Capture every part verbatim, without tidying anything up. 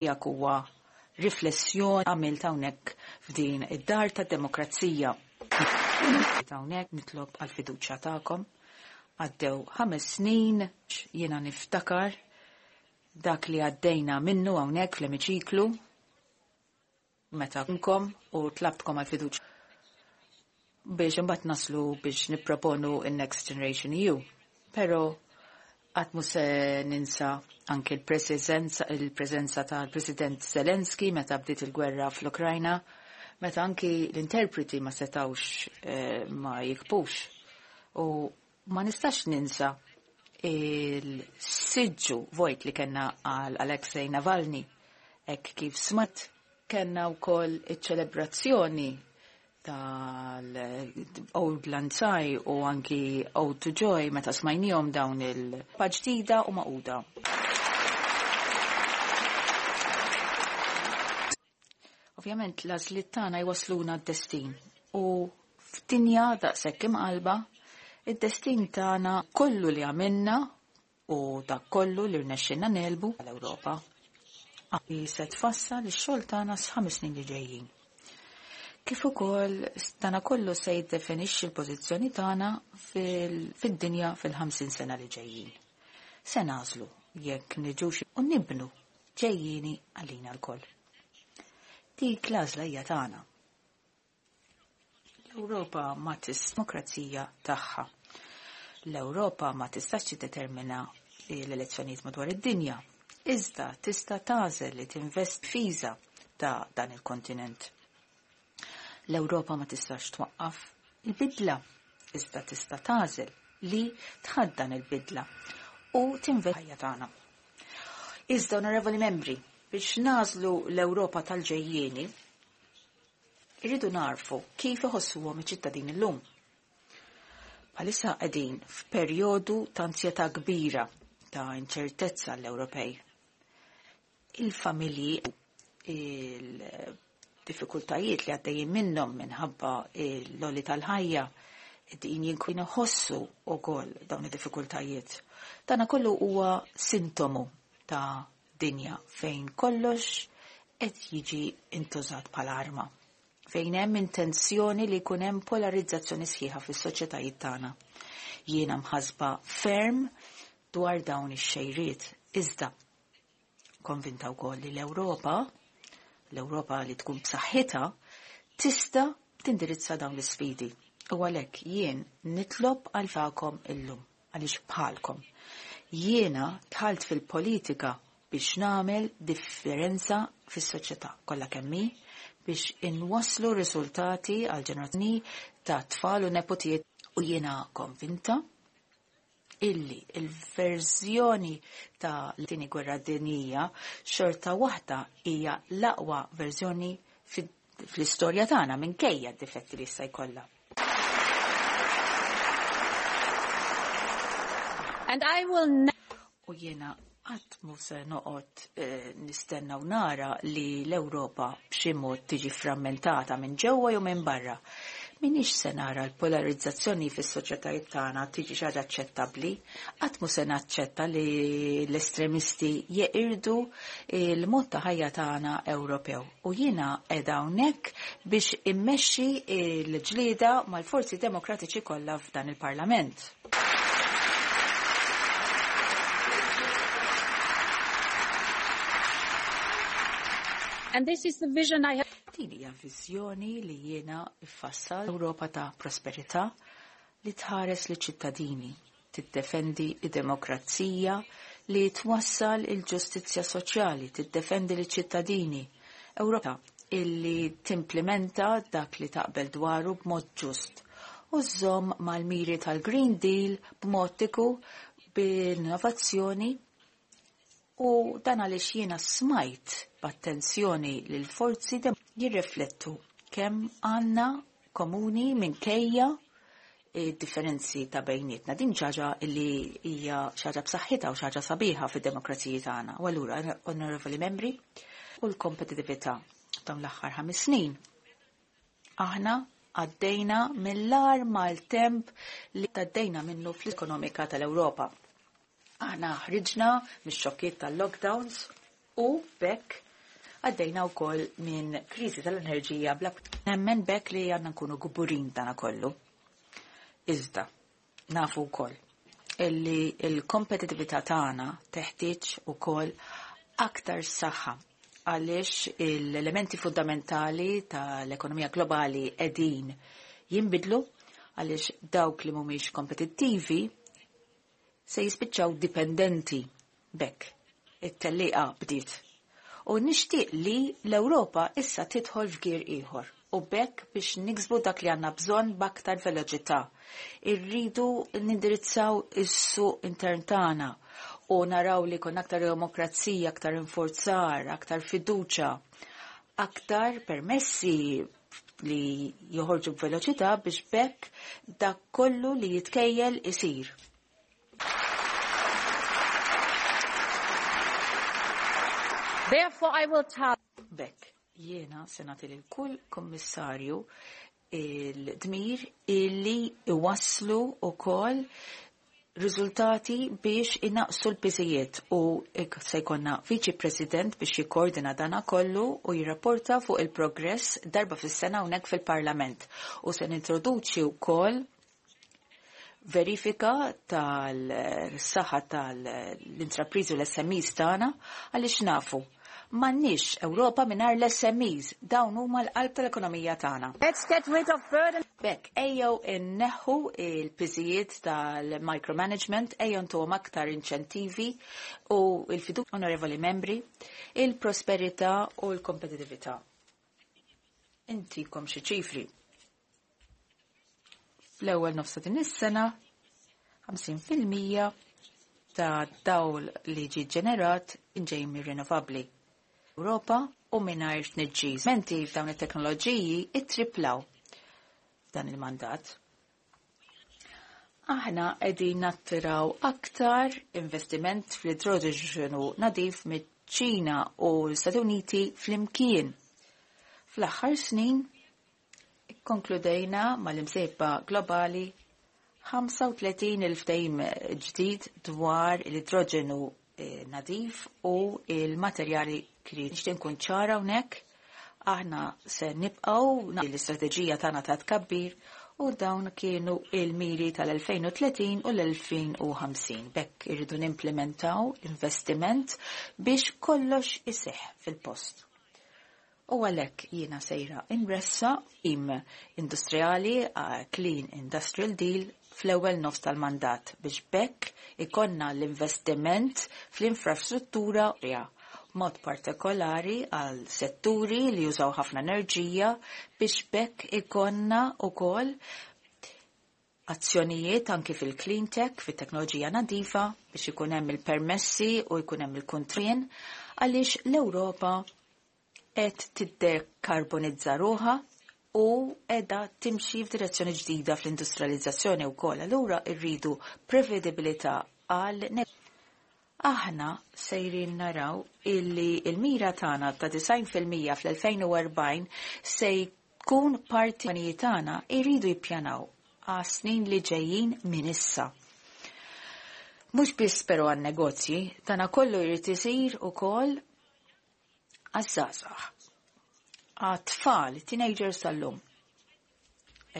Tiegħek huwa riflessjoni għamilt hawnhekk f'din id-dar tad-demokrazija. Hawnhekk nitlob għal fiduċja tagħkom. Għaddew ħames snin jiena niftakar dak li għaddejna minnu hawnhekk fl-emiċiklu meta nkom u tlabtkom għal fiduċja biex imbagħad naslu biex nipproponu in-Next Generation E U. Però qatt mhu se ninsa anke l-preżenza il-preżenza tal-President Zelensky meta bdiet il-gwerra fl-Ukrajna, meta anki l-interpreti ma setawx eh, ma jikbux. U ma nistax ninsa il-siġġu vojt li kellna għal Alexei Navalny, hekk kif smat kellna wkoll iċ-ċelebrazzjoni tal-Auld Lang Syne u anki Ode to Joy meta smajnihom dawn il-ġdida u magħquda. Ovvjament l-għażliet tagħna jwasluna d-destin u f'dinja daqshekk imqalba id-destin tagħna kollu li għamilna u dak kollu li rnexxinna negħlbu l-Ewropa. Li se tfassal ix-xogħol tagħna sal-ħames snin li ġejjin. Kif ukoll dana kollu se jiddefinixxi l-pożizzjoni tagħna fid-dinja fil-ħamsin sena li ġejjin. Se nagħżlu jekk niġux u nibnu ġejjieni għalina lkoll. Dik l-għażla hija tagħna. L-Ewropa ma tis demokrazija tagħha. L-Ewropa ma tistax tiddetermina l-elezzjonijiet madwar id-dinja. Iżda tista' tagħżel li tinvest fiża ta' dan il-kontinent. L-Ewropa ma tistax twaqqaf il-bidla, iżda tista' tagħżel li tħaddan il-bidla u tinvest ħajja tagħna. Iżda, onorevoli membri, biex nagħżlu l-Ewropa tal-ġejjieni, irridu narfu kif iħossuhom iċ-ċittadini llum. Bħalissa qegħdin f'perjodu ta' ansjetà kbira ta' inċertezza l-Ewropej. Il-familji, il-diffikultajiet li għaddejjin minnhom minħabba l-għoli tal-ħajja, din jinkun iħossu wkoll dawn id-diffikultajiet. Dana kollu huwa sintomu ta' dinja fejn kollox qed jiġi intużat bħala arma. Fejn hemm intenzjoni li jkun hemm polarizzazzjoni sħiħa fis-soċjetajiet tagħna. Jiena mħasba ferm dwar dawn ix-xejriet. Iżda konvinta wkoll li l-Ewropa, l-Ewropa li tkun b'saħħitha, tista' tindirizza dawn l-isfidi. U għalhekk jien nitlob għal tagħkom illum, għaliex bħalkom. Jiena dħalt fil-politika biex nagħmel differenza fis-soċjetà kollha kemm hi, biex inwasslu riżultati għal ġenerazzjoni ta' tfal u nepotijiet, u jiena konvinta illi il-verżjoni ta' l-tieni gwerra dinjija xorta waħda hija l-aqwa verżjoni fl-istorja tagħna minkejja d-difetti li issa jkollha. And I will U jiena qatt mhu se noqgħod eh, nistenna u nara li l-Ewropa b'xi mod tiġi frammentata minn ġewwa jew minn barra. Minix se nara l-polarizzazzjoni fis-soċjetajiet tagħna tiġi xi ħaġa aċċettabbli, qatt mhu se naċċetta li l-estremisti jeqirdu l-mod ta' ħajja tagħna Ewropew. U jiena qiegħda hawnhekk biex immexxi l-ġlieda mal-forzi demokratiċi kollha f'dan il-Parlament. And this is the vision I have. Din hija viżjoni li jiena iffassal Ewropa ta' prosperità li tħares li ċittadini, tiddefendi id-demokrazija, li twassal il-ġustizzja soċjali, tiddefendi li ċittadini. Ewropa illi timplementa dak li taqbel dwaru b'mod ġust u żżomm mal-miri tal-Green Deal b'mod tiku b'innovazzjoni. U dan għaliex jiena smajt b'attenzjoni lil forzi dem jirriflettu kemm għandna komuni minkejja differenzi ta' bejnietna. Din xi ħaġa li hija xi ħaġa b'saħħitha u xi ħaġa sabiħa fid-demokrazija tagħna. U allura, onorevoli membri, u l-kompetitività dawn l-aħħar ħames snin. Aħna għaddejna mill-agħar maltemp li għaddejna minnu fl-ekonomika tal-Ewropa. Aħna ħriġna mix-xokkiet tal-lockdowns u bekk Għaddejna wkoll minn kriżi tal-enerġija bla nemmen bekk li għandna nkunu gburin dana kollu. Iżda, nafu wkoll illi l-kompetitività tagħna teħtieġ ukoll aktar saħħa għaliex l-elementi fundamentali tal-ekonomija globali qegħdin jinbidlu għaliex dawk li mhumiex kompetittivi se jispiċċaw dipendenti bekk. It-tellieqa bdiet. U nixtieq li l-Ewropa issa tidħol f'gir ieħor u bekk biex niksbu dak li għandna bżonn b'aktar veloċità. Irridu nindirizzaw is-suq intern tagħna u naraw li jkun aktar demokrazija, aktar infurzar, aktar fiduċa, aktar permessi li joħorġu b'veloċità biex bekk dak kollu li jitkejjel isir. Therefore I will tell Bekk, jiena se nagħti lil kull kommissarju il-dmir illi iwasslu wkoll riżultati biex inaqsu l-piżijiet u se jkollna viċi president biex jikkoordina dana kollu u jirrapporta fuq il-progress darba fis-sena hawnhekk fil-Parlament. U se nintroduċi wkoll verifika tal-saħħa tal-intrapriżi u l-S M Es tagħna, għaliex nafu m'għandniex Ewropa mingħajr l-S M Es, dawn huma l-qalb tal-ekonomija tagħna. Let's get rid of burden. Bekk, ejjew inneħħu il-piżijiet tal-micromanagement, ejjew ntuhom aktar inċentivi u il-fidu, onorevoli membri, il-prosperità u l-kompetitività. Intikom xi ċifri. Fl-ewwel nofsa din is-sena, ħamsin fil-mija ta' dawl li ġi ġenerat inġej mir-rinnovabbli. Ewropa u mingħajr tniġġis. Menti f'dawn it-teknoloġiji ittriplaw f'dan il-mandat. Aħna qegħdin nattiraw aktar investiment fl-idroġenu nadif miċ-Ċina u l-Stati Uniti flimkien. Fl-aħħar snin ikkonkludejna mal-imsejba globali ħamsa u tletin il-ftehim ġdid dwar l-idroġenu eh, nadif u il-materjali kritiċi. Nixtieq nkun ċara hawnhekk, aħna se nibqgħu l-istrateġija tagħna ta' tkabbir u dawn kienu il-miri tal-elfejn u tletin u l-elfejn u ħamsin. Bekk irridu nimplementaw investiment biex kollox iseħ fil-post. U għalhekk jiena sejra inressa im industrijali Clean Industrial Deal fl-ewwel nofs tal-mandat biex bekk ikonna l-investiment fl-infrastruttura mod partikolari għal setturi li jużaw ħafna enerġija biex bekk ikonna ukoll azzjonijiet anki fil-clean tech, fit-teknoloġija nadifa, biex ikun hemm il-permessi u jkun hemm il-kuntrien, għaliex l-Ewropa qed tiddekarbonizza ruħha u edha timxi f'direzzjoni ġdida fl-industrializzazzjoni wkoll. Allura rridu prevedibilità għal Aħna sejrin naraw illi il-mira tagħna ta' disgħin fil-mija fl-elfejn u erbgħin se jkun parti tagħna jridu jippjanaw għas snin li ġejjin minn issa. Mhux biss però għan negozji, tana kollu jrid isir ukoll għaż-żgħażagħ. Għat-tfal, teenagers tal-lum.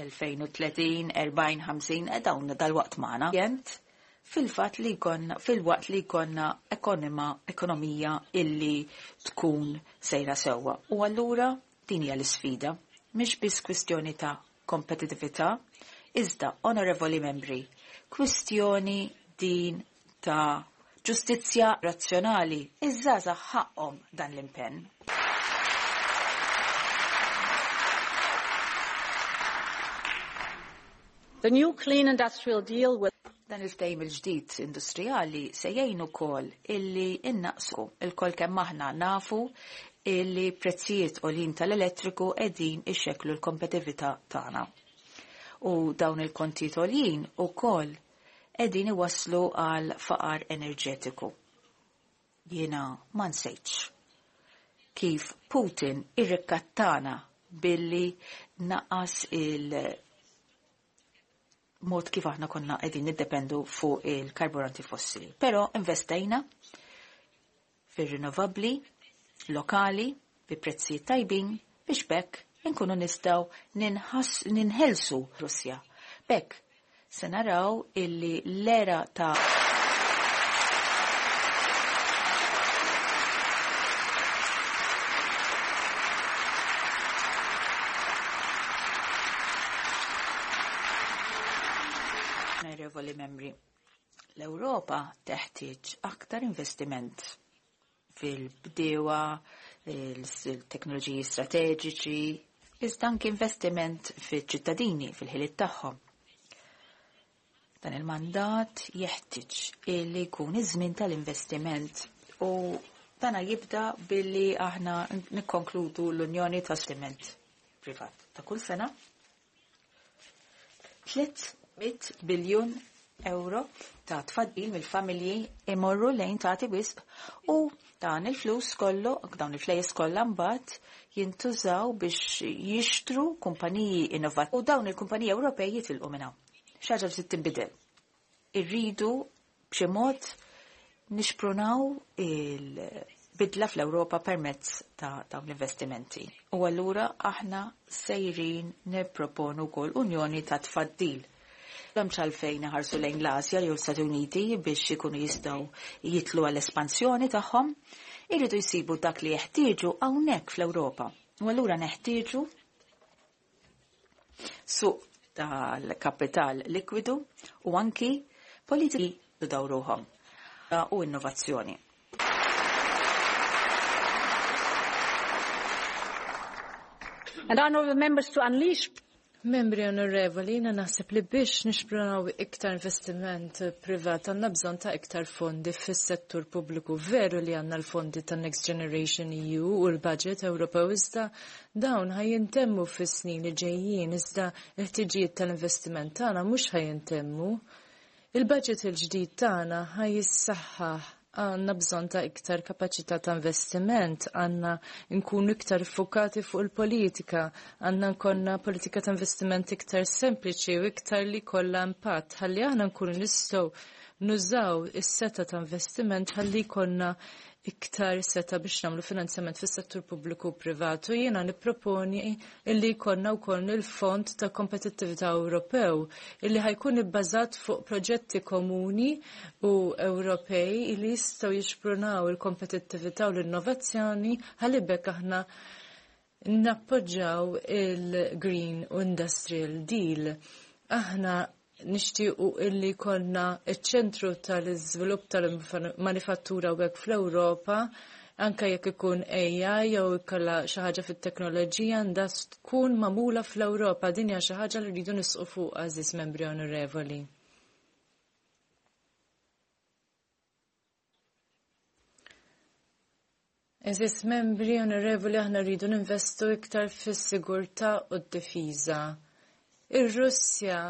elfejn u tletin, erbgħin, ħamsin, e dawn dal-waqt magħna. Jent, fil-fat li jkollna, fil-waqt li jkollna ekonima, ekonomija illi tkun sejra sewwa. U allura din hija l-isfida. Mhix biss kwistjoni ta' kompetitività, iżda, onorevoli membri, kwistjoni din ta' ġustizzja razzjonali. Iż-żgħażagħ ħaqhom dan l-impenn. The new Clean Industrial Deal will Dan il-ftehim il-ġdid industrijali se jgħin ukoll illi innaqsu. Il-kol kemm aħna nafu illi prezzijiet għoljin tal-elettriku qegħdin ixekklu l-kompetitività tagħna. U dawn il-kontijiet għoljin ukoll qegħdin iwasslu għal faqar enerġetiku. Jiena ma nsejtx kif Putin irrikattana billi naqas il- mod kif aħna konna qegħdin niddependu fuq il-karburanti fossili. Però investejna fir-rinnovabbli lokali. bi prezzijiet tajbin biex bekk inkunu nistgħu ninħelsu Russja. Bekk se naraw illi l-era ta' Onorevoli membri, l-Ewropa teħtieġ aktar investiment fil-bdewa, il-teknoloġiji strateġiċi, iżda anki investiment fil-ċittadini, fil-ħiliet tagħhom. Dan il-mandat jeħtieġ illi jkun iż-żmien tal-investiment u dana jibda billi aħna nikkonkludu l-Unjoni ta' Investiment Privat ta' kull sena. tliet mitt biljun euro ta' tfaddil mill-familji imorru lejn tagħti wisq u dan il-flus kollu, dawn il-flejjes kollha mbagħad jintużaw biex jixtru kumpaniji innovattivi u dawn il-kumpaniji Ewropej jitilqu minn hawn. Xi ħaġa trid tinbidel. Irridu b'xi mod nixprunaw il-bidla fl-Ewropa permezz ta' dawn l-investimenti. U allura aħna sejrin nipproponu wkoll unjoni ta' tfaddil. M'hemmx għalfejn ħarsu lejn l-Asja jew l-Stati Uniti biex ikunu jistgħu jitlu għall-espansjoni tagħhom, irridu jsibu dak li jeħtieġu hawnhekk fl-Ewropa. U allura neħtieġu suq tal-kapital likwidu u anki politiki dawruhom u innovazzjoni. And honorable members, to unleash Membri onorevoli, jina naħseb li biex nixprunaw iktar investiment privat għandna bżonn ta' iktar fondi fis-settur pubbliku. Veru li għandna l-fondi ta' Next Generation E U u l-budget Ewropew, iżda dawn ħajintemmu fis-snin li ġejjin, iżda l-ħtiġijiet tal-investiment tagħna mhux ħajintemmu. Il-budget il-ġdid tagħna ħajjissaħħaħ, għandna bżonn ta' iktar kapaċità ta' investiment, għandna nkunu iktar fokati fuq il-politika, għandna nkollna politika ta' investiment iktar sempliċi u iktar li kollha impatt, ħalli aħna nkunu nistgħu nużaw is-seta ta' investiment ħalli jkollna iktar seta biex nagħmlu finanzjament fis-settur pubbliku u privatu. Jiena nipproponi illi jkollna wkoll il-Fond ta' Kompetittività Ewropew illi ħajkun ibbażat fuq proġetti komuni u Ewropej illi jistgħu jixprunaw il-kompetittività u l-innovazzjoni ħalli bekk aħna nappoġġaw il-Green Industrial Deal. Aħna nixtiequ illi konna iċ-ċentru tal-iżvilupp tal-manifattura u hekk fl-Ewropa, anke jekk ikun A I jew ikollha xi ħaġa fit-teknoloġija għandha tkun magħmula fl-Ewropa. Din hija xi ħaġa li rridu nisqu fuq, għażiż membri onorevoli. Eżis membri onorevoli, aħna rridu ninvestu iktar fis-sigurtà u d-difiża. Ir-Russja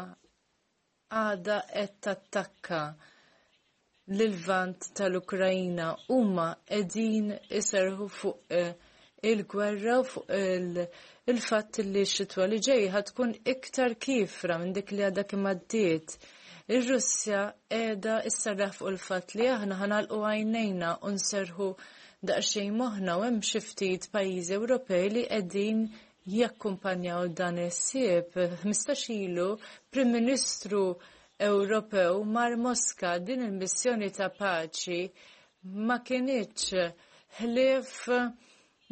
għada qed tattakka lil-Lvant tal-Ukrajna, huma qegħdin iserħu fuq, eh, il-gwerra u fuq il-, il-fatt li x-xitwa li ġej ħad tkun iktar kifra minn dik li għadha kemm għaddiet. Ir-Russja qiegħda issarraħ fuq il-fatt li aħna ħanalqu għajnejna u nserħu daqsxejn moħħna, u hemm xi ftit pajjiżi Ewropej li qegħdin jakkumpanjaw dan is-sieb. Ħmistax ilu Prim Ministru Ewropew mar Moska. Din il-missjoni ta' paċi ma kinitx ħlief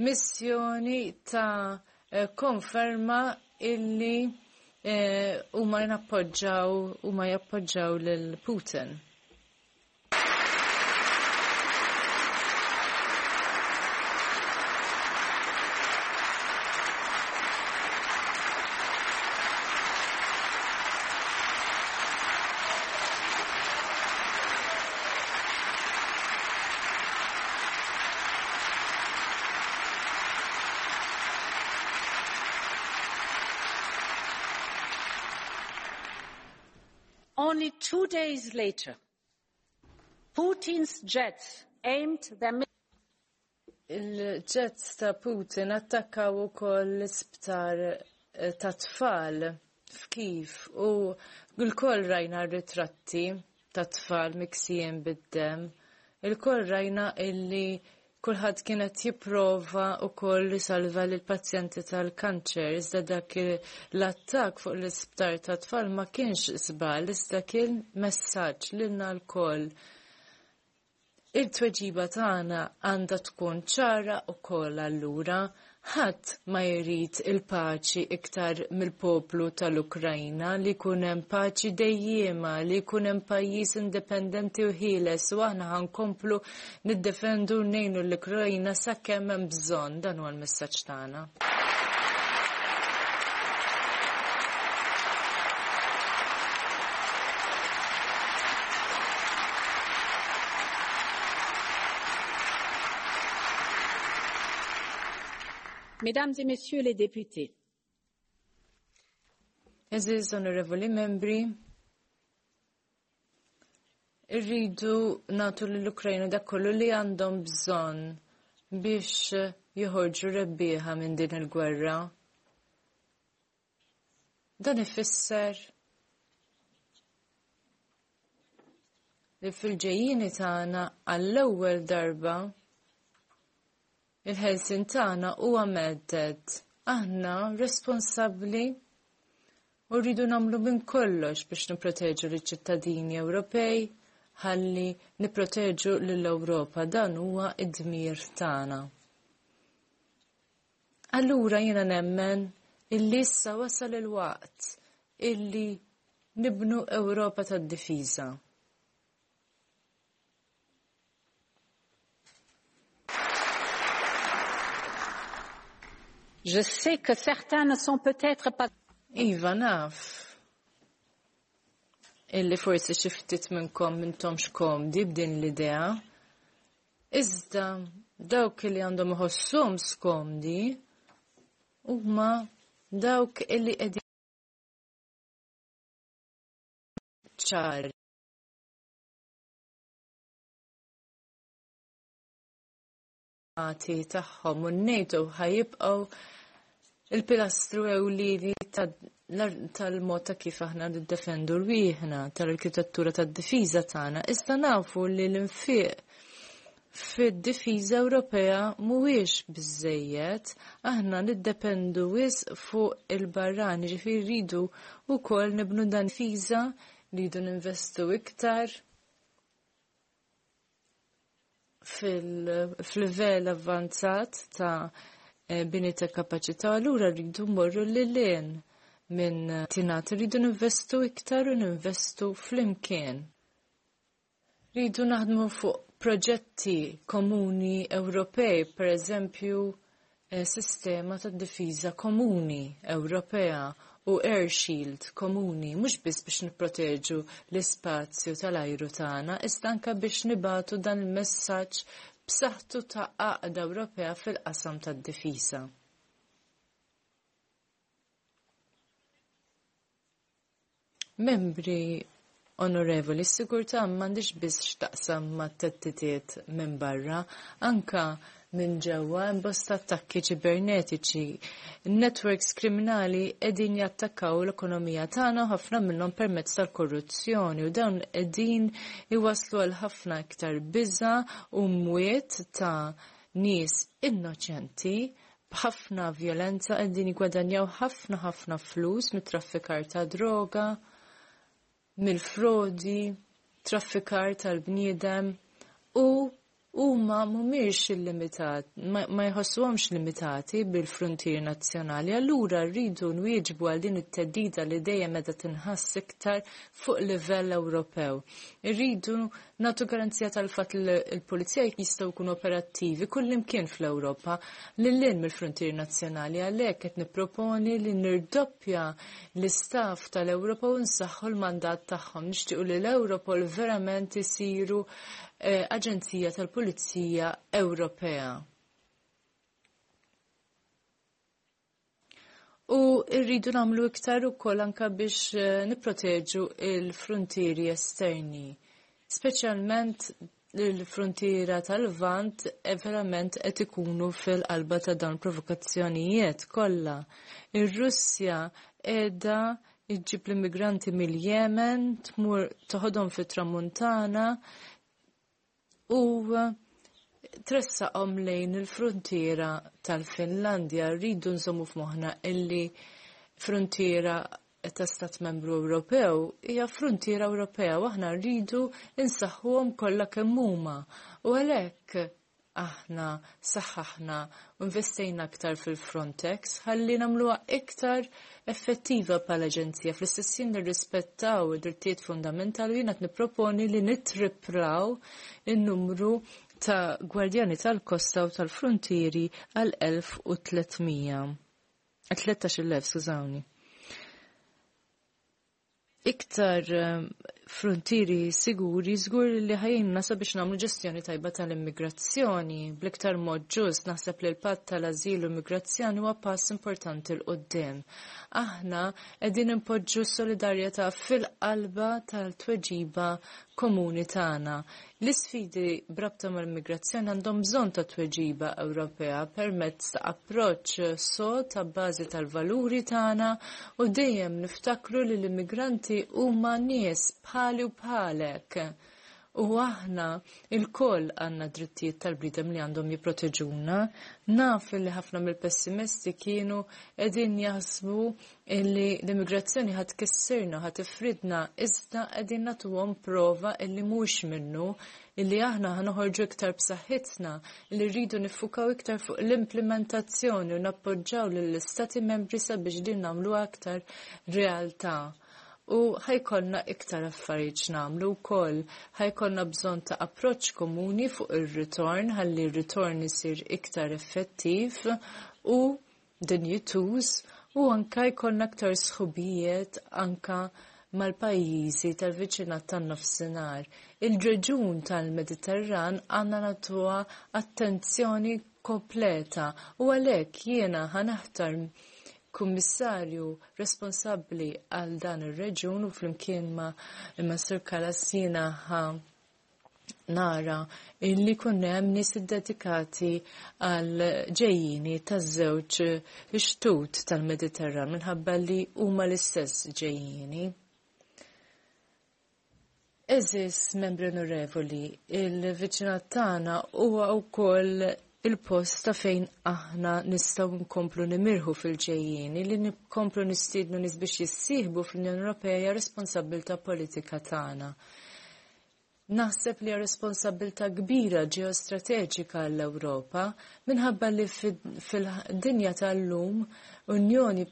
missjoni ta' konferma illi, eh, huma nappoġġaw, huma jappoġġaw lil Putin. Only two days later, Putin's jets aimed their mi- Il-jets ta' Putin attakkaw ukoll l-isptar, eh, ta' tfal f'Kiev u l-koll rajna ritratti ta' tfal miksijin bid-dem. Il-koll rajna illi Kulħadd kien qed jipprova wkoll isalva lill pazjenti tal-kanċer, iżda dak l-attakk fuq l-isptar tat-tfal ma kienx żball, iżda kien messaġġ lilna lkoll. Il-tweġiba tagħna għandha tkun ċara wkoll allura. Ħadd ma jrid il-paċi iktar mill-poplu tal-Ukrajna, li jkun hemm paċi dejjiema, li jkun hemm pajjiż indipendenti u ħieles, u aħna ħankomplu niddefendu u ngħinu l-Ukrajna sakemm hemm bżonn. Dan huwa l-messaġġ tagħna. Mesdames et Messieurs les députés. Eżiż onorevoli membri, irridu nagħtu lill-Ukrajna dak kollu li għandhom bżonn biex joħorġu rebbieħa minn din il-gwerra. Dan ifisser li fil-ġejjieni tagħna għall-ewwel darba il-ħelsien tagħna huwa medded. Aħna responsabbli u rridu nagħmlu minn kollox biex nipproteġu liċ-ċittadini Ewropej ħalli nipproteġu lill-Ewropa. Dan huwa id-dmir tagħna. Allura jiena nemmen illi issa wasal il-waqt illi nibnu Ewropa tad-difiża. Je sais que certains ne sont peut-être pas... Iva, naf illi forsi xi ftit minnkom m'intomx komdi b'din l-idea. Iżda dawk li għandhom iħossuhom skomdi huma dawk illi qegħdin ċari tagħhom u n-NATO ħajibqgħu il-pilastru ewlieni tal-mod ta' kif aħna niddefendu rwieħna, tal-arkitettura tad-difiża tagħna. Iżda nafu li l-infiq fid-difiża Ewropea mhuwiex biżejjed, aħna niddependu wisq fuq il-barrani, ġifieri rridu wkoll nibnu dan difiża, rridu ninvestu iktar fil-livell avvanzat ta' bini ta' kapaċità, allura rridu mmorru lil hinn minn tingħat, rridu ninvestu iktar u ninvestu flimkien. Rridu naħdmu fuq proġetti komuni Ewropej, per eżempju sistema ta' difiża komuni Ewropea u air shield komuni, mhux biss biex nipproteġu l-ispazju tal-ajru tagħna, iżda anke biex nibatu dan il-messaġġ b'saħħtu ta' għaqda Ewropea fil-qasam tad-difiża. Membri onorevoli, s-sigurtà m'għandix biss x'taqsam mat-theddid minn barra, anka minn ġewwa hemm bosta attakki ċibernetiċi. Networks kriminali qegħdin jattakkaw l-ekonomija tagħna ħafna minnhom permezz tal-korruzzjoni, u dawn qegħdin iwasslu għal ħafna iktar biża' u mwiet ta' nies innoċenti b'ħafna vjolenza, qegħdin jigwadanjaw ħafna ħafna flus mit-traffikar ta' droga, mill-frodi, traffikar tal-bniedem, u huma mhumiex illimitat, ma jħossuhomx limitati bil-frontier nazzjonali. Allura rridu nwieġbu għal din it-teddida li dejjem meta tinħass iktar fuq livell Ewropew. Irridu nagħtu garanzija tal-fatt li l-pulizija jistgħu jkunu operattivi kullimkien fl-Ewropa lil hinn mill-frontier nazzjonali. Għalhekk qed nipproponi li nirdoppja l-istaff tal-Ewropa u nsaħħu l-mandat tagħhom. Nixtiequ li l-Europol verament isiru Aġenzija tal-Pulizija Ewropea. U rridu nagħmlu iktar ukoll anke biex nipproteġu l-frontieri esterni, speċjalment l-frontiera tal-Lvant verament qed ikunu fil-qalba ta' dawn provokazzjonijiet kollha. Ir-Russja qiegħda iġġib l-immigranti mill-Yemen, tmur toħodhom fit-Tramuntana u tressaqhom lejn il-frontiera tal-Finlandja. Rridu nżommu f'moħħna illi frontiera ta' stat membru Ewropew hija frontiera Ewropea u aħna rridu insaħħuhom kollha kemm huma. U għalhekk aħna saħħaħna u investejna aktar fil-Frontex ħalli nagħmluha iktar effettiva bħala aġenzija. Fl-istess ħin nirrispettaw id-drittijiet fundamentali u jiena qed nipproponi li nittripraw in-numru ta' gwardjani tal-kosta u tal-frontieri għal elf u tliet mija. Tlettax-il elf, skużawni. Iktar eh, frontieri siguri żgur li ħa jgħinna sabiex nagħmlu ġestjoni tajba tal-immigrazzjoni bl-iktar mod ġust. Naħseb li l-patt tal-ażil u immigrazzjoni huwa pass importanti 'l quddiem. Aħna qegħdin impoġġu solidarjetà fil-qalba tal-tweġiba komuni tagħna. L-isfidi b'rabta mal-immigrazzjoni għandhom bżonn ta' tweġiba Ewropea permezz ta' approċċ sod ta' bażi tal-valuri tagħna u dejjem niftakru li l-immigranti huma nies bħali u bħalek. U aħna il-koll għandna drittijiet tal-bniedem li għandhom jipproteġuna. Naf li ħafna mill-pessimisti kienu qegħdin jaħsbu illi l-immigrazzjoni ħa tkissirna, ħa tifridna, iżda qegħdin nagħtuhom prova illi mhux minnu, illi aħna ħa noħorġu iktar b'saħħitna, li rridu niffukaw iktar fuq l-implementazzjoni u nappoġġaw lill-istati membri sabiex din nagħmluha aktar realtà. U ħa jkollna iktar affarijiet nagħmlu wkoll. Ħa jkollna bżonn ta' approċċ komuni fuq ir-ritorn ħalli r-ritorn isir iktar effettiv u dinjituż u anka jkollna aktar sħubijiet anka mal-pajjiżi tal-viċinat tan-nofsinhar. Il-reġun tal-Mediterran għandna nagħtuha attenzjoni kompleta u għalhekk jiena ħa naħtar kummissarju responsabbli għal dan ir-reġun u flimkien ma' ma' Sur Kallas jiena ħa nara illi jkun hemm nies iddedikati għal ġejjini taż-żewġ xtut tal-Mediterran minħabba li huma l-istess ġejjini. Għeżież membri onorevoli, il-viċinat tagħna huwa wkoll il-post ta' fejn aħna nistgħu nkomplu nimirħu fil-ġejjieni. Li nkomplu nistiednu nies biex jissieħbu fl-Unjoni Ewropea hija responsabbiltà politika tagħna. Naħseb li hija responsabbiltà kbira ġeostrateġika għall-Ewropa minħabba li fil-dinja tal-lum Unjoni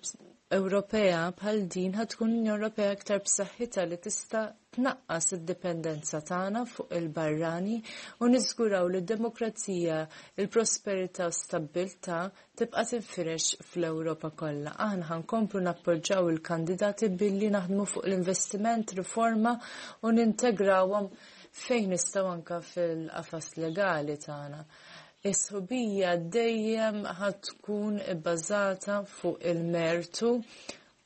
Ewropea bħal din ħa tkun Unjoni Ewropea aktar b'saħħitha li tista' tnaqqas id-dipendenza tagħna fuq il-barrani u niżguraw li d-demokrazija, il-prosperità u stabbiltà tibqa' tinfirex fl-Ewropa kollha. Aħna ħa nkomplu nappoġġaw il-kandidati billi naħdmu fuq l-investiment, riforma u nintegrawhom fejn nistgħu anke fil-qafas legali tagħna. Is-sħubija dejjem ħa tkun ibbażata fuq il-mertu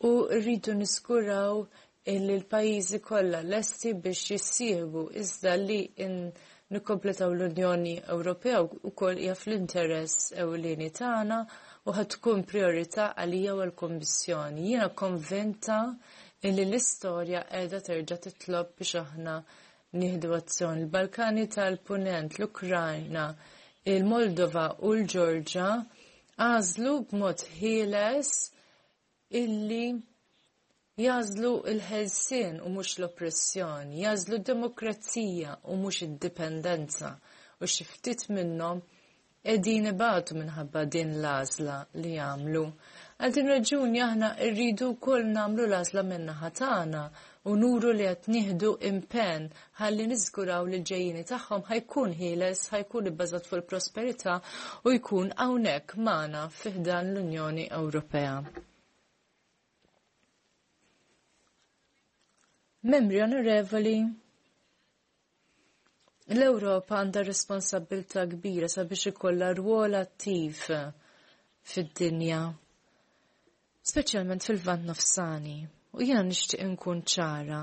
u rridu niżguraw illi l-pajjiżi kollha lesti biex jissieħbu, iżda li nikkompletaw l-Unjoni Ewropea wkoll hija fl-interess ewlieni tagħna u ħa tkun priorità għalija u għall-Kummissjoni. Jiena konvinta illi l-istorja qiegħda terġa' titlob biex aħna nieħdu azzjoni. Il-Balkani tal-Punent, l-Ukrajna, il-Moldova u l-Ġorġa għażlu b'mod ħieles illi jagħżlu il-ħelsien u mhux l-oppressjoni, jagħżlu d-demokrazija u mhux id-dipendenza, u xi ftit minnhom qegħdin ibatu minħabba din l-għażla li jagħmlu. Għal din raġuni aħna rridu wkoll nagħmlu l-għażla min-naħa tagħna u nuru li qed nieħdu impenn ħalli niżguraw li l-ġejjini tagħhom ħa jkun ħieles, ħa jkun ibbażat fuq il-prosperità u jkun hawnhekk magħna fi ħdan l-Unjoni Ewropea. Membri onorevoli, l-Ewropa għandha responsabbiltà kbira sabiex ikollha rwol attiv fid-dinja, speċjalment fil-Lvant Nofsani. U jiena nixtieq inkun ċara,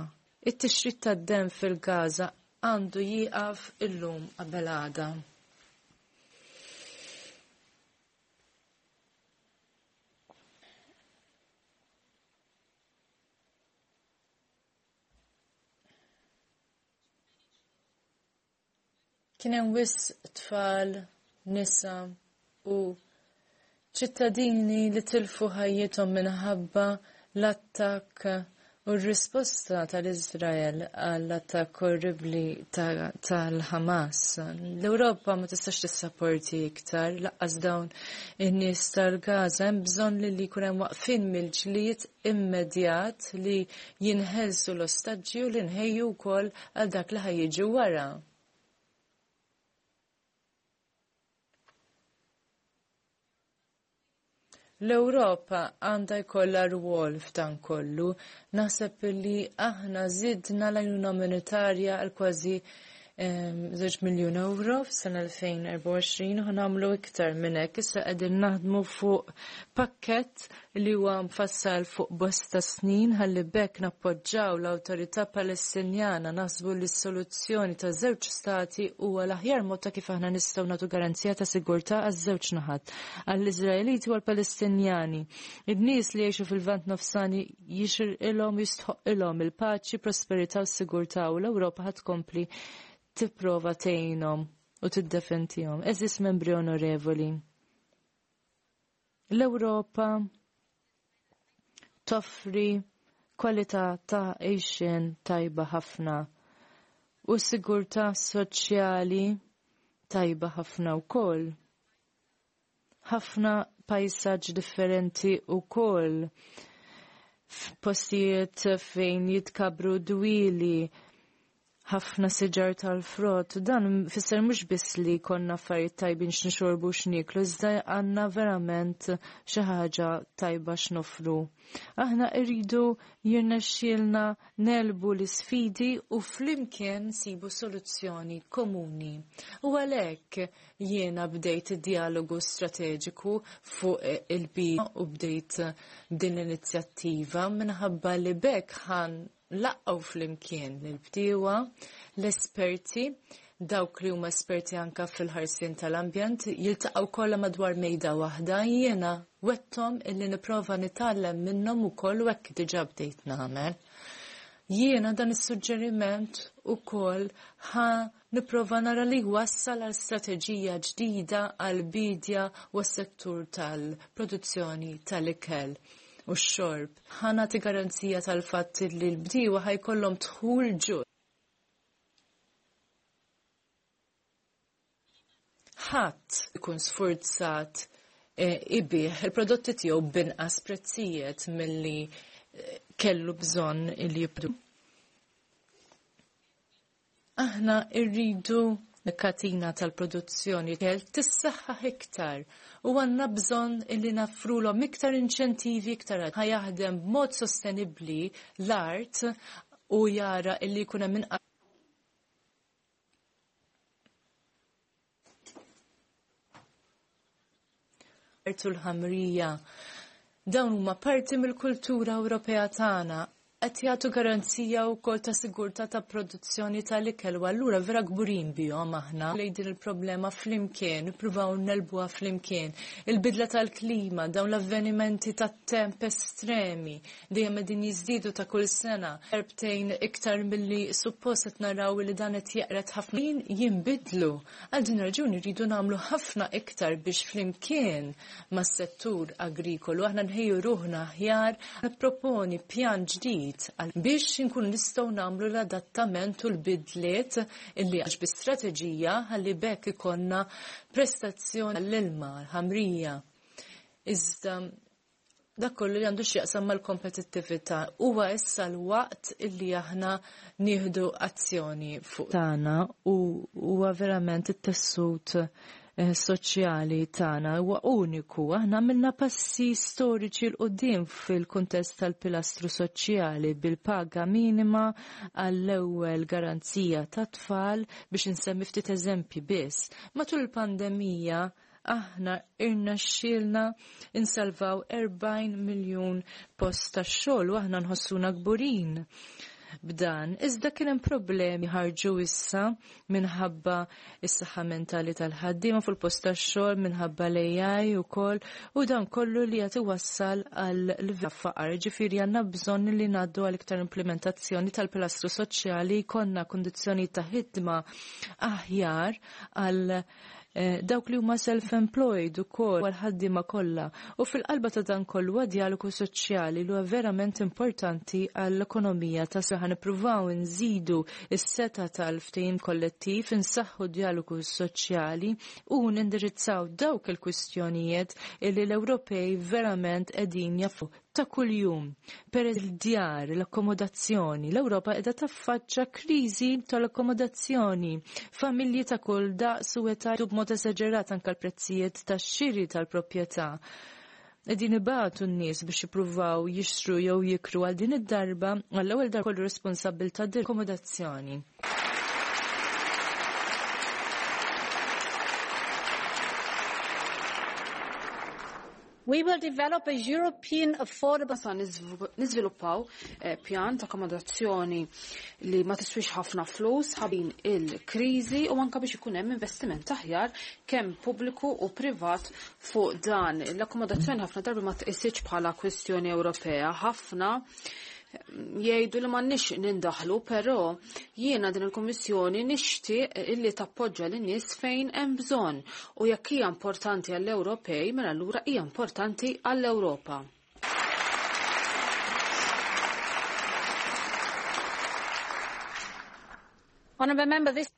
it-tixrid tad-dem fil-Gaza għandu jieqaf illum qabel għada. Kien hemm wisq tfal, nisa u ċittadini li tilfu ħajjithom minħabba l-attakk u r-risposta tal-Izrael għall-attakk orribli tal-Hamas. L-Ewropa ma tistax tissapporti iktar laqqas dawn in-nies tal-Gaza, hemm bżonn li jkun hemm waqfien mill-ġlied immedjat li jinħelsu l-ostaġġi u li nħejju wkoll għal dak li ħajjiġi wara. L-Ewropa għandha jkollha rwol f'dan kollu. Naħseb li aħna żidna l-għajnuna monetarja għal kważi żewġ miljun euro f'sena elfejn erbgħa u għoxrin u nagħmlu iktar minn hekk. Issa qegħdin naħdmu fuq pakkett li huwa mfassal fuq bosta snin ħalli bekk nappoġġaw l-awtorità Palestinjana. Naħsbu li s-soluzzjoni ta' żewġ stati huwa l-aħjar mod ta' kif aħna nistgħu nagħtu garanzija ta' sigurtà għaż-żewġ naħat, għall-Iżraeliti u għall-Palestinjani. In-nies li jgħixu fil-Lvant Nofsani jixirqilhom jistħoqilhom il-paċi, prosperità u s-sigurtà, u l-Ewropa ħadd tkompli tipprova tgħinhom u tiddefendihom. Eżis membri onorevoli, l-Ewropa toffri kwalità ta' għixien tajba ħafna u sigurtà soċjali tajba ħafna wkoll. Ħafna pajsaġġ differenti wkoll, f'postijiet fejn jitkabru dwieli, ħafna siġar tal-frott. Dan fisser mhux biss li konna affarijiet tajbin x'nixorbu x'nieklu, iżda għandna verament xi ħaġa tajba x'nofru. Aħna rridu jirnexxielna nelbu l-isfidi u flimkien nsibu soluzzjoni komuni. U għalhekk jiena bdejt id-dialogu strateġiku fuq il-bidja u bdejt din l-inizjattiva minħabba li bekk ħan laqgħu flimkien l-bdiewa, l-esperti, dawk li huma esperti anka fil-ħarsien tal-ambjent, jiltaqgħu kollha madwar mejda waħda. Jiena wettom illi nipprova nitgħallem minnhom ukoll u hekk diġà bdejt nagħmel. Jiena dan is-suġġeriment ukoll ħa nipprova nara li wassal għal strateġija ġdida għal bidja u s-settur tal-produzzjoni tal-ikel u x-xorb. Ħa nagħti garanzija tal-fatt li l-bdiewa ħajkollhom dħul ġust. Ħadd ikun sfurzat ibih il-prodotti tiegħu b'inqas prezzijiet milli kellu bżonn li jibdu. Aħna rridu l-katina tal-produzzjoni kell tissaħħaħ iktar u għandna bżonn illi nafrulhom iktar inċentivi iktar ħajaħdem b'mod sostenibbli l-art u jara illi jkun hemm inqas u l-ħamrija. Dawn huma parti mill-kultura Ewropea tagħna, qed jagħtu garanzija wkoll ta' sigurtà ta' produzzjoni tal-ikel u allura vera kburin bihom aħna lejn din il-problema flimkien, nippruvaw nelbuha flimkien. Il-bidla tal-klima, dawn l-avvenimenti tat-temp estremi dejjem qegħdin jiżdiedu ta' kull sena, erbtejn iktar milli suppost qed naraw li dan qed jeqred ħafna jinbidlu. Għal din raġuni rridu nagħmlu ħafna iktar biex flimkien mas-settur agrikolu aħna nħejju ruħna aħjar, nipproponi pjan ġdid biex inkun nistgħu nagħmlu l-adattament u l-bidliet illi għax bi strateġija ħalli bekk ikollna prestazzjoni għall-ilma, l-ħamrija. Iżda dak kollu li għandu x'jaqsam mal-kompetittività huwa issa l-waqt illi aħna nieħdu azzjoni fuq tagħna u huwa verament it-tessut soċjali tagħna huwa uniku. Aħna għamilna passi storiċi l quddiem fil-kuntest tal-pilastru soċjali bil-paga minima għall-ewwel garanzija tat-tfal biex insemmi ftit eżempji biss. Matul il-pandemija aħna irnexxielna insalvaw erbgħin miljun post tax-xogħol u aħna nħossuna kburin. b'dan. Iżda kien hemm problemi ħarġu issa minħabba is-saħħa mentali tal-ħaddiema fuq il-post tax-xogħol minħabba l-A I ukoll u dan kollu li qed iwassal għal livell faqar. Ġifieri għandna bżonn li ngħaddu għal iktar implementazzjoni tal-pilastru soċjali, jkollna kundizzjoni ta' ħidma aħjar għal Eh, dawk li huma self-employed ukoll għal ħaddiema kollha. U fil-qalba ta' dan kollu huwa dialogu soċjali li huwa verament importanti għall-ekonomija ta' saħħa. Nippruvaw nżidu s-seta tal-ftehim kollettiv, insaħħu dialogu soċjali u nindirizzaw dawk il-kwistjonijiet li l-Ewropej verament qegħdin jafu ta' kuljum. Per il-djar, l-akkomodazzjoni, l-Ewropa qiegħda taffaċċa kriżi tal-akkomodazzjoni. Familji ta' kull daqs u età b'mod esaġerat anke l-prezzijiet tax-xiri tal-proprjetà. Qegħdin ibatu n-nies biex jippruvaw jixtru jew jikru għal din id-darba, għall-ewwel darba kollu responsabbiltà akkomodazzjoni. We will develop a European affordable Sa niżviluppaw eh, pjan ta' akkomodazzjoni li ma tiswix ħafna flus ħabin il-kriżi u anka biex ikun hemm investiment aħjar kemm pubbliku u privat fuq dan. L-akkomodazzjoni ħafna darbi ma tqisitx bħala kwestjoni Ewropea, ħafna jgħidu li m'għandniex nindaħlu, però jiena din il-Kummissjoni nixtieq illi tappoġġa lin-nies fejn hemm bżonn u jekk hija importanti għall-Ewropej, mela allura hija importanti għall-Ewropa. Honourable Member, this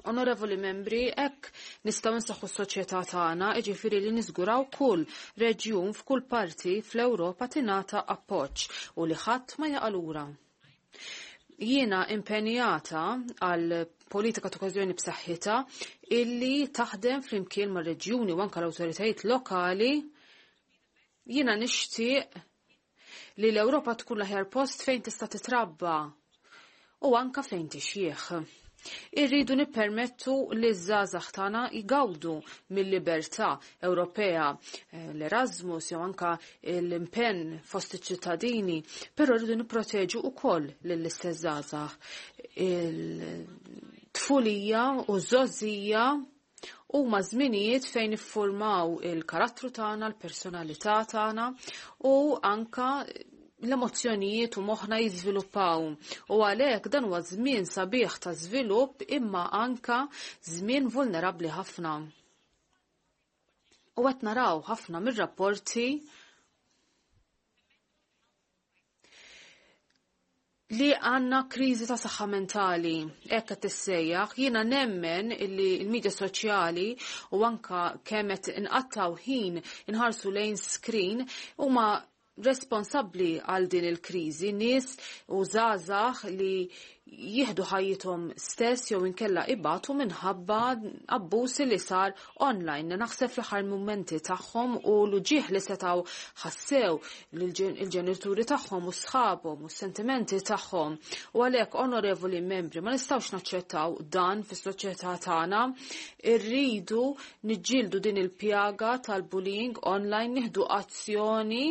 Onorevoli membri, hekk nistgħu nsaħħu s-soċjetà tagħna, jiġifieri li niżguraw kull reġjun f'kull parti fl-Ewropa tingħata appoġġ u li ħadd ma jaqa' lura. Jiena impenjata għal politika ta' koeżjoni b'saħħitha illi taħdem flimkien mar-reġjuni u anke l-awtoritajiet lokali. Jiena nixtieq li l-Ewropa tkun l-aħjar post fejn tista' titrabba u anka fejn tixjieħ. Irridu nippermettu li ż-żgħażagħ tagħna jgawdu mill-libertà Ewropea, l-Erasmus jew anka l-impenn fost iċ-ċittadini, però rridu nipproteġu wkoll lill-istess żgħażagħ. Il-tfulija u ż-żgħożija huma żminijiet fejn iffurmaw il-karattru tagħna, l-personalità tagħna u anka l-emozzjonijiet u moħħna jiżviluppaw. U għalhekk dan huwa żmien sabiħ ta' żvilupp imma anka żmien vulnerabbli ħafna. U qed naraw ħafna mir-rapporti li għanna kriżi ta' saħħa mentali, hekk qed tissejjaħ. Jiena nemmen illi l-medja soċjali u anka kemm qed inqattaw ħin inħarsu lejn screen huma responsabbli għal din il-kriżi, nies u żgħażagħ li jieħdu ħajjithom stess jew inkella ibatu minħabba abbuż li sar online. Naħseb fl-aħħar mumenti tagħhom u l-uġieħ li setgħu ħassew il-ġenituri tagħhom u sħabhom u s-sentimenti tagħhom. U għalhekk, onorevoli membri, ma nistgħux naċċettaw dan fis-soċjetà tagħna. Irridu niġġieldu din il-pjaga tal-bullying online, nieħdu azzjoni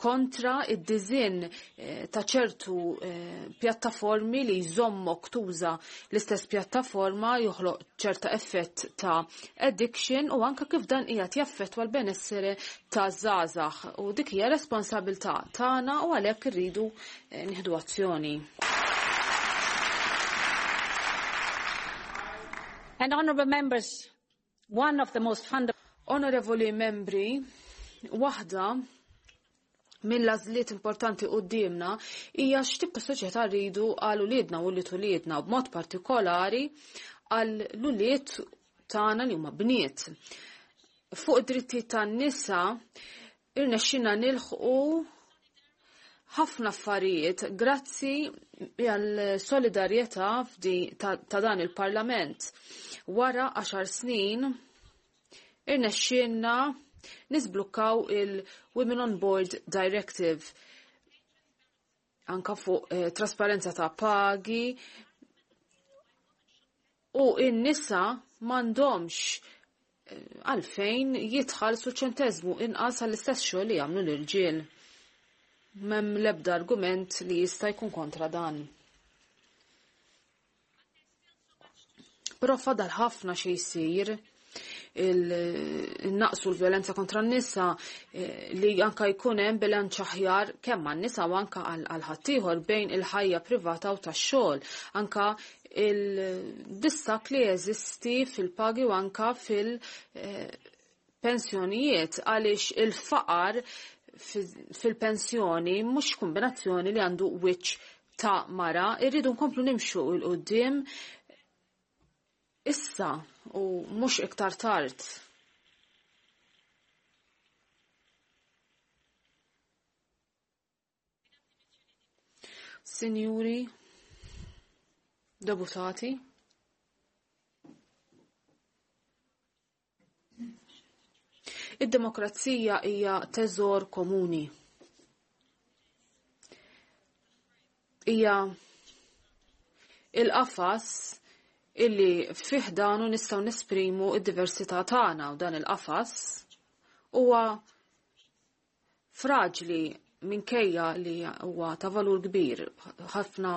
kontra id-dizin ta' ċertu pjattaformi li jżommok tuża l-istess pjattaforma, joħloq ċerta effett ta' addiction u anka kif dan qiegħed jaffettwa l-benessere ta' żgħażagħ, u dik hija responsabilità tagħna u għalhekk irridu nieħdu azzjoni. And honourable members, one of the most fundamental Onorevoli membri, waħda mill-għażliet importanti quddiemna hija x'tip ta' soċjetà rridu għal uliedna u li uliedna, b'mod partikolari għal l-ulied tagħna li huma bniet. Fuq id-drittijiet tan-nisa irnexxina nilħqu ħafna affarijiet grazzi għal solidarjetà ta' dan il-Parlament. Wara għaxar snin irnexxielna nisblukkaw il-Women on Board Directive anka fuq eh, trasparenza ta' pagi, u in-nisa m'għandhomx eh, għalfejn jitħallsu ċentezmu inqas għall-istess xogħol li jagħmlu l-irġiel. M'hemm l-ebda argument li jista' jkun kontra dan. però fadal ħafna xi jsir il-naqsu l-violenza kontra n-nisa li anka jkun hemm bilanċ aħjar kemm għan-nisa u anka għal ħaddieħor bejn il-ħajja privata u tax-xogħol, anka il-distak li jeżisti fil-pagi u anka fil-pensjonijiet għaliex il-faqar fil-pensjoni mhux kombinazzjoni li għandu wiċċ ta' mara, irridu nkomplu nimxu 'l quddiem issa u mhux iktar tard. Sinjuri, deputati, id-demokrazija hija teżor komuni. Hija il-qafas illi fih danu nistgħu nesprimu id-diversità tagħna u dan il-qafas huwa fraġli minkejja li huwa ta' valur kbir. Ħafna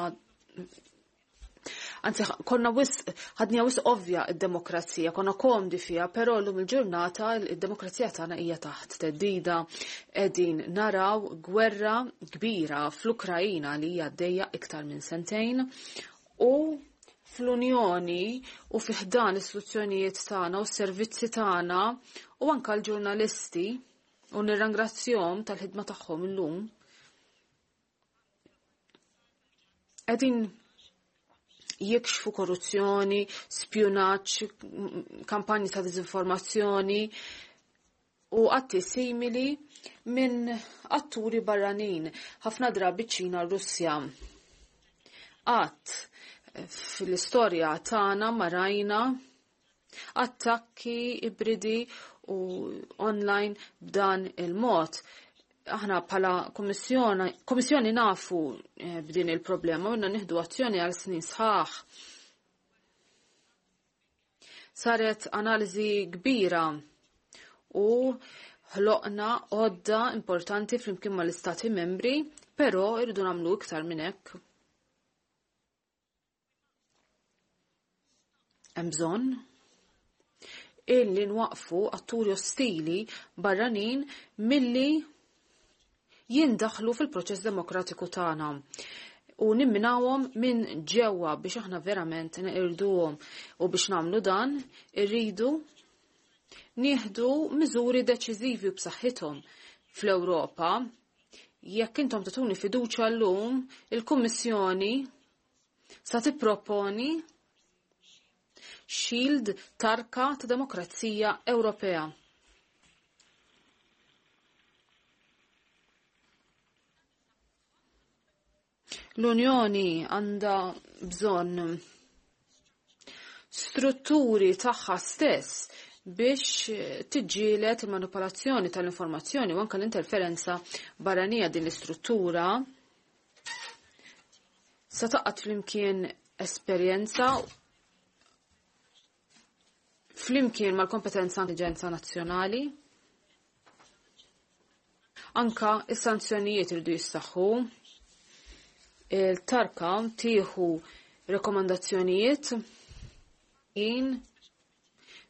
anzi konna wisq ħadnija wisq ovvja id-demokrazija, konna komdi fiha, però llum il-ġurnata id-demokrazija tagħna hija taħt teddida. Qegħdin naraw gwerra kbira fl-Ukrajina li hija għaddejja iktar minn sentejn u fl-Unjoni u fi ħdan l-istituzzjonijiet tagħna u s-servizzi tagħna u anke l-ġurnalisti u nirringrazzjahom tal-ħidma tagħhom illum. Qegħdin jikxfu korruzzjoni, spjunaġġ, kampanji ta' diżinformazzjoni u atti simili minn atturi barranin, ħafna drabi ċ-Ċina u Russja. Qatt fl-istorja tagħna ma rajna attakki ibridi u online b'dan il-mod. Aħna bħala kummissjoni nafu b'din il-problema u nieħdu azzjoni għal snin sħaħ. Saret analiżi kbira u ħloqna għodda importanti flimkien mal-istati membri, però irridu nagħmlu iktar minn hekk. Hemm bżonn illi nwaqfu atturi ostili barranin milli jindaħlu fil-proċess demokratiku tagħna u nimminawhom minn ġewwa biex aħna verament neqirduhom u biex nagħmlu dan irridu nieħdu miżuri deċiżivi b'saħħithom fl-Ewropa. Jekk intom tagħtuni fiduċja llum, il-Kummissjoni sa tipproponi shield tarka ta' demokrazija Ewropea. L-Unjoni għandha bżonn strutturi tagħha stess biex tiġġieled il-manipolazzjoni tal-informazzjoni u anke l-interferenza barranija. Din l-istruttura sa taqgħod flimkien esperjenza flimkien mal-kompetenza intelligenza nazzjonali. Anka is-sanzjonijiet iridu jissaħħu. Il-tarka tieħu rekomandazzjonijiet in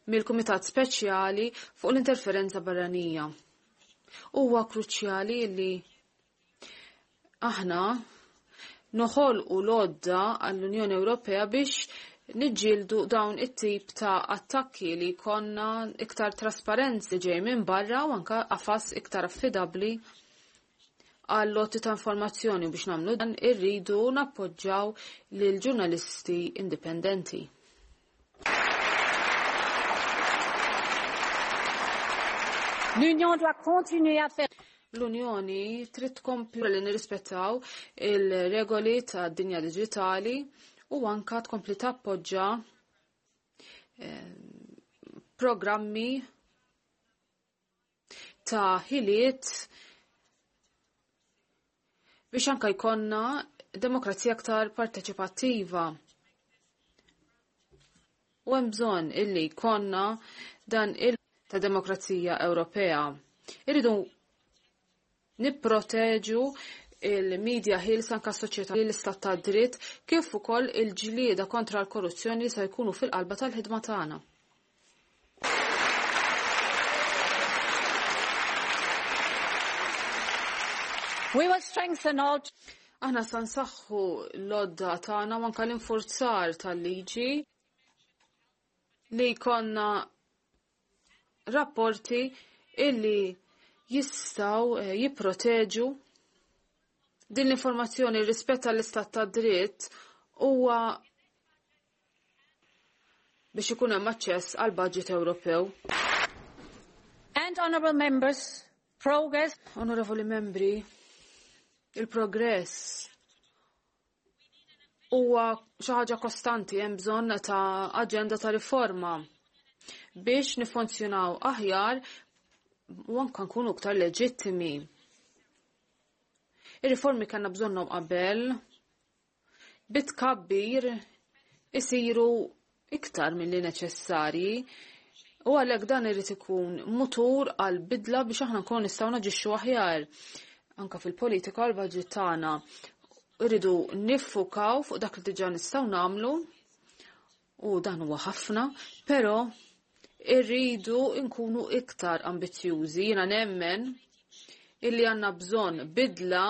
mill-Kumitat Speċjali fuq l-interferenza barranija. Huwa kruċjali li aħna noħolqu l-għodda għall-Unjoni Ewropea biex niġġieldu dawn it-tip ta' attakki li konna iktar trasparenzi ġej minn barra u anka qafas iktar affidabbli għal lotti ta' informazzjoni. Biex nagħmlu dan irridu nappoġġjaw lil ġurnalisti indipendenti. L'Union doit continuer à faire L-Unjoni trid tkompli li nirrispettaw il-regoli tad dinja diġitali u anka tkompli tappoġġa programmi ta' ħiliet biex anka jkollna demokrazija aktar parteċipattiva. U hemm bżonn illi jkollna dan il ta' demokrazija Ewropea. Irridu nipproteġu il-medja ħielsa anke s-soċjetà l-istat ta' dritt kif ukoll il-ġlieda kontra l-korruzzjoni li se jkunu fil-qalba tal-ħidma tagħna. We will strengthen all Aħna sa nsaħħu l-odda tagħna u anke l-infurzar tal-liġi li jkollna rapporti illi jistgħu eh, jipproteġu din l-informazzjoni rispett għall-istat ta' dritt huwa biex ikun hemm aċċess għal budget Ewropew. And honorable members, progress. Onorevoli membri, il-progress huwa xi ħaġa kostanti, hemm bżonn ta' aġenda ta' riforma biex nifunzjonaw aħjar u anke nkunu iktar leġittimi. Ir-riformi kellna bżonnhom qabel bitkabbir isiru iktar milli neċessarji u għalhekk dan irid ikun mutur għal bidla biex aħna nkunu nistgħu naġixxu aħjar anka fil-politika u l-budget tagħna. Irridu niffukaw fuq dak li diġà nistgħu nagħmlu u dan huwa ħafna, però irridu nkunu iktar ambizzjużi. Jiena nemmen illi għandna bżonn bidla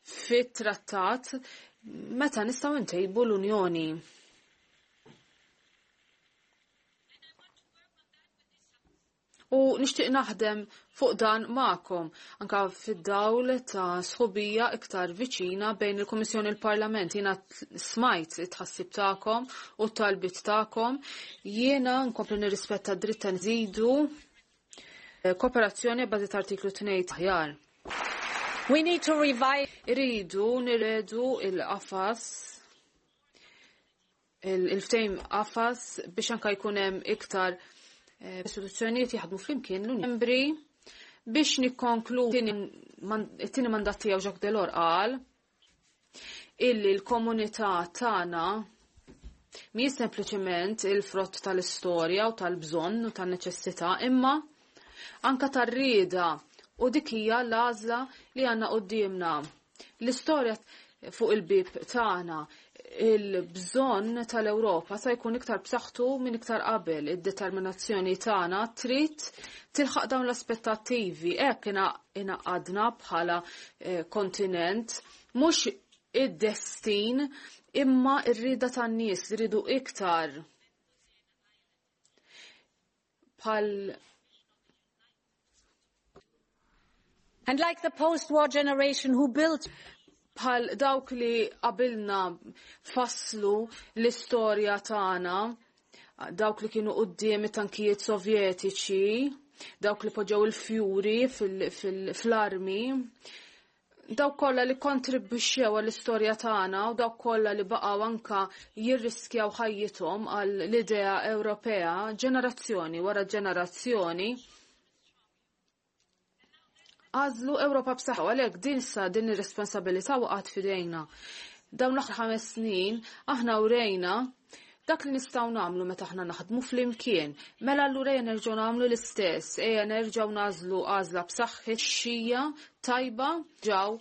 fit-trattat meta nistgħu ntejbu l-Unjoni. U nixtieq naħdem fuq dan magħkom anka fid-dawl ta' sħubija iktar viċina bejn il-Kummissjoni u l-Parlament. Jiena smajt it-tħassib tagħkom u t-talbiet tagħkom. Jiena nkompli nirrispetta d-dritt ta' nżidu kooperazzjoni bażi ta' artiklu tnejn aħjar. We need to revive. Irridu nirredu il-qafas il-ftejm qafas biex anka jkun hemm iktar istituzzjonijiet jaħdmu flimkien l-Unjoni Membri biex nikkonklu it-tieni mandat tiegħu Jacques Delors qal illi l-komunità tagħna mhijiex sempliċement il-frott tal-istorja u tal-bżonn u tan-neċessità, imma anka tar-rieda u dik hija l-għażla li għandna quddiemna. L-istorja fuq il-bib tagħna, il-bżonn tal-Ewropa se jkun iktar b'saħħtu minn iktar qabel. Id-determinazzjoni tagħna trid tilħaq dawn l-aspettattivi. Hekk ingħaqadna bħala kontinent, mhux id-destin imma r-rieda tan-nies li rridu iktar bħal And like the post-war generation who built bħal dawk li qabilna fasslu l-istorja tagħna, dawk li kienu quddiem it-tankijiet sovjetiċi, dawk li poġġew il-fjuri fl-armi, dawk kollha li kontribwixxew għall-istorja tagħna u dawk kollha li baqgħu anka jirriskjaw ħajjithom għall-idea Ewropea ġenerazzjoni wara ġenerazzjoni. Għażlu Ewropa b'saħħa, għalhekk din sa din ir-responsabilità waqgħet f'idejna. Dawn l-aħħar ħames snin aħna urejna dak li nistgħu nagħmlu meta aħna naħdmu flimkien. Mela allura ejja nerġgħu nagħmlu l-istess, ejja nerġgħu nażlu għażla b'saħħit xija tajba ġew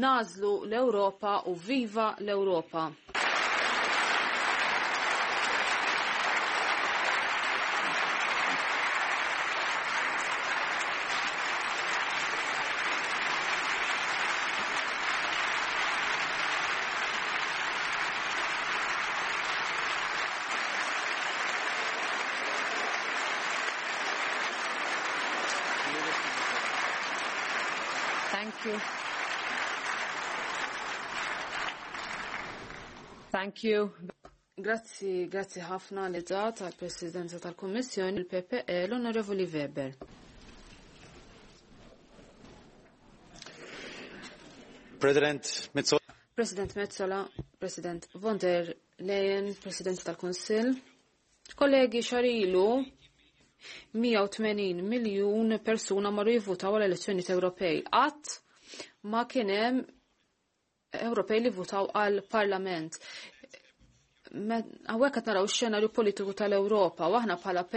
nażlu l-Ewropa u viva l-Ewropa. Thank you. Thank you. Grazzi, grazzi ħafna li dat għal-Presidenza tal-Kummissjoni, il-P P E, l-Onorevoli Weber. President Metsola. President Metsola, President von der Leyen, President tal-Kunsill. Kollegi, xarilu mija u tmenin miljun persuna marru jivvutaw għal elezzjonijiet Ewropej. Qatt ma kien hemm Ewropej li votaw għal Parlament. Hawnhekk qed naraw ix-xenarju politiku tal-Ewropa u aħna bħala P